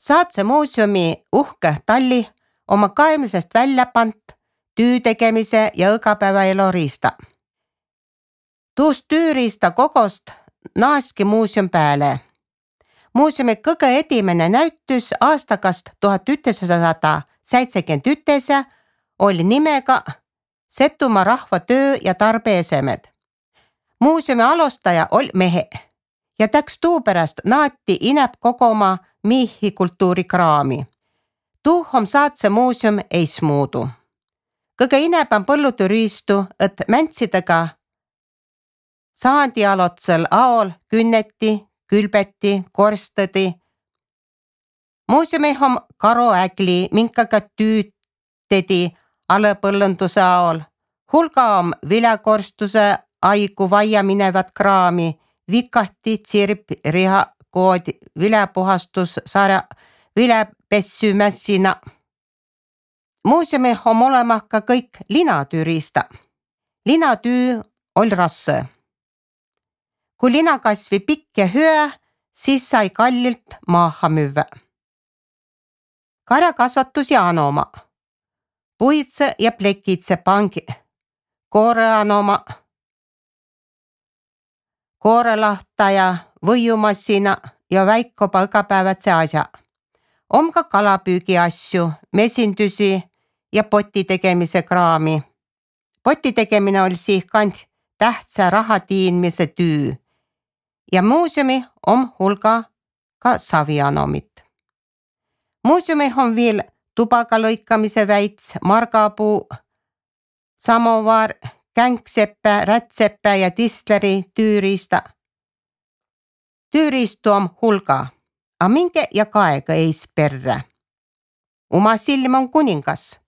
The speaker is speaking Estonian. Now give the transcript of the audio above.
Saatse muuseumi uhke talli oma kaemisest välja pant tüü tegemise ja õgapäevaelu riista. Tuust tüüriista kogost naaski muuseum pääle. Muuseumi kõige edimene näütys aastakast 1971 oli nimega Setumaa rahva töö ja tarbeesemed. Muuseumi alustaja oli mehe ja täks tuupärast naati inäb kogoma miihi kultuurikraami. Tuuh om Saatse muuseum eismuudu. Kõige inäb on põlluturiistu, et mäntsidega saandialotsel aol künneti, külbeti, korstadi. Muuseumi on karoägli, minkaga tüütedi alõpõllunduse aol. Hulga on viljakorstuse aigu vaia minevat kraami, vikahti, tsirp, riha, kood, viljapuhastus, sarja, viljapessymässina. Muuseumi on olema ka kõik linatüüriista. Linatüü oli rasse. Kui lina kasvi pikk ja hüä, siis sai kallilt maaha müüvä. Karjakasvatus ja anoma. Puitse ja plekitse pangi. Kooreanoma. Koorelahtaja, võiumassina ja väikopa õgapäevatse asja. On ka kalapüügi asju, mesindüsi ja poti tegemise kraami. Poti tegemine oli siihkand tähtsä raha tiinmise tüü. Ja muuseumi on hulga ka savianomit. Muuseumi on veel tubaga lõikamise väits, margapuu, samovar, känkseppe, rätseppe ja tistleri tüüriista. Tüüriistu on hulga, a minge ja kaega eis perre. Uma silm on kuningas.